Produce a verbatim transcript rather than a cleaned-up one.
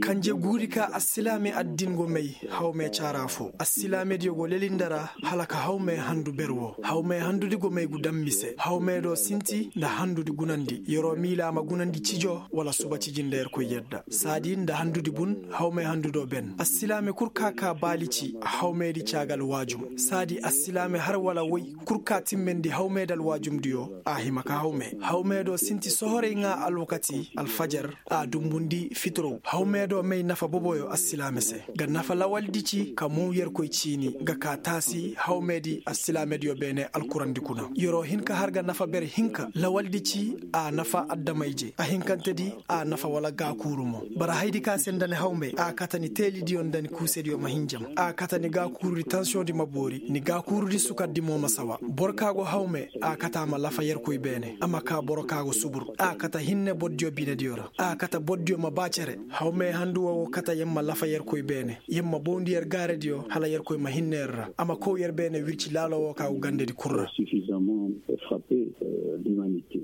Kanje guuri ka assilaame addin go may hawmee caaraa foo assilaamediyo go leli nda ra. Hala ka hawmee handu ber woo hawmee handudi go may gu dammi se hawmee do sinti nda handudi gunandi yer'o miilaa ma gunandi cijoo wala suba ciji nda yerkoy yadda saadi nda handudi bun. Hawmee handudoo ben assilaame kul ka kaa baali ci hawmeedi caagal waajum saadi assilaame har wala woy kul ka timmendi hawmeedi alwaajumdiyoo. A hima ka hawmee hawmeedoo sinti sohorey ŋaa alwakati alfajar a dumbundi fitorow hawmeedoo may nafa boboyo assilaame se. Ga nafa lawaldi ci ka muu yerkoy ciini ga kaa taasi hawmeedi assilaamediyo beene alkurandi kuna yer'o hin ka har ga nafa ber hinka lawaldi ci a nafa adama-ije a hinkantedi a nafa wala gaakuuru mo. Bara haydi ka se nda ni hawmee a kata ni teelidiyo nda ni kuusediyo ma hin jam a kata ni gaakuurudi tansiyoŋdi ma boori ni gaakuurudi sukardi mo ma sawa boro ka go hawmee a kata a ma lafa yerkoy beene a ma kaa boro ka go subur a kata hinne bordiyo binediyo ra a kata bordiyo ma ba cere. Hawmee handu woo go kata yer ma lafa yerkoy beene yer ma bawndi yer gaaradiyo hala yerkoy ma hinne yer ra a ma kow yer beene wirci laalo woo ka go gandedi kul ra. Suffisamment frappe l'humanité.